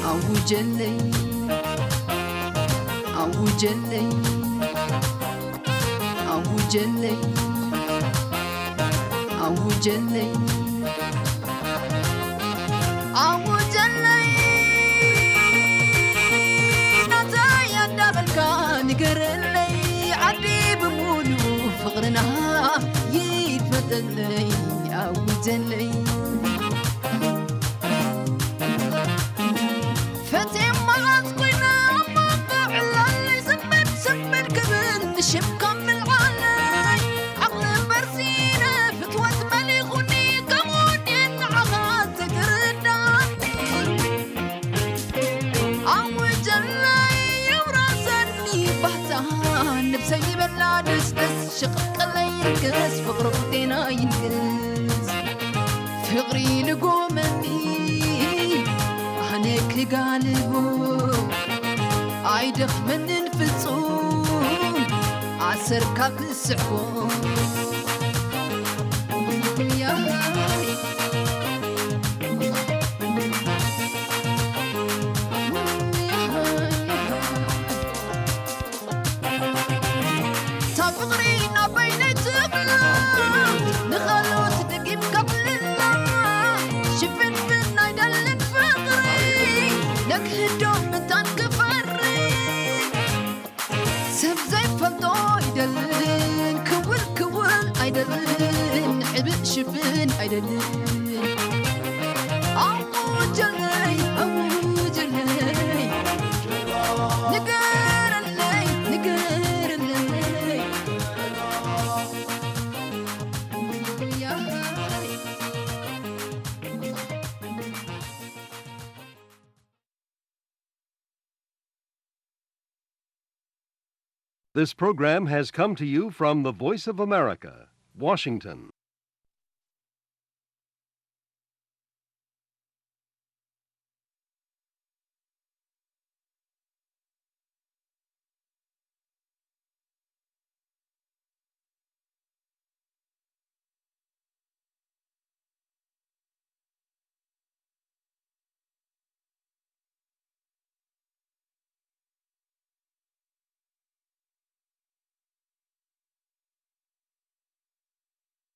ኣውጀለይ ኣውጀለይ ኣውጀለይ ኣውጀለይ ኣውጀለይ ናተይ ኣዳበልካ ንገረለይ ዓዲ ብምሉእ ፍቕርና ይፈጠለይ ኣውጀለይ ፈትየ መዓዝ ኮይነ ኣብ መንጎ ዕላለይ ስምድ ስምድ ክብል ንሽምካ ምልዓለይ ዓቕሊ በርሲነ ፍትወት መሊኹኒ ከምኡን ንዓኻ ዘይትርዳኒ ኣውጀለይ የውረሰኒ ባህታ ነብሰይ ይበላ ደስደስ ሽቕቅለይ ይንገስ ፍቕሪ ቁጤና ይንገስ ፍቕሪ ልጎመኒ ኣነ ክጋልቦ ኣይደኽመንን ፍጹም ኣሰርካ ክስዕቦ እታ ፍቕሪ ናበይነይ ትብላ ንኻልኦት ደጊም ከብልላ ሽፍንፍን ኣይደልን ፍቕሪ ነክህዶ ምንታን ክፈሪ ሰብ ዘይፈልጦ ኣይደልን ክውል ክውል ኣይደልን ሕብእ ሽፍን ኣይደልን ኣውጀለይ ኣውጀለይ ንገረለይ ንገረለይ This program has come to you from the Voice of America, Washington.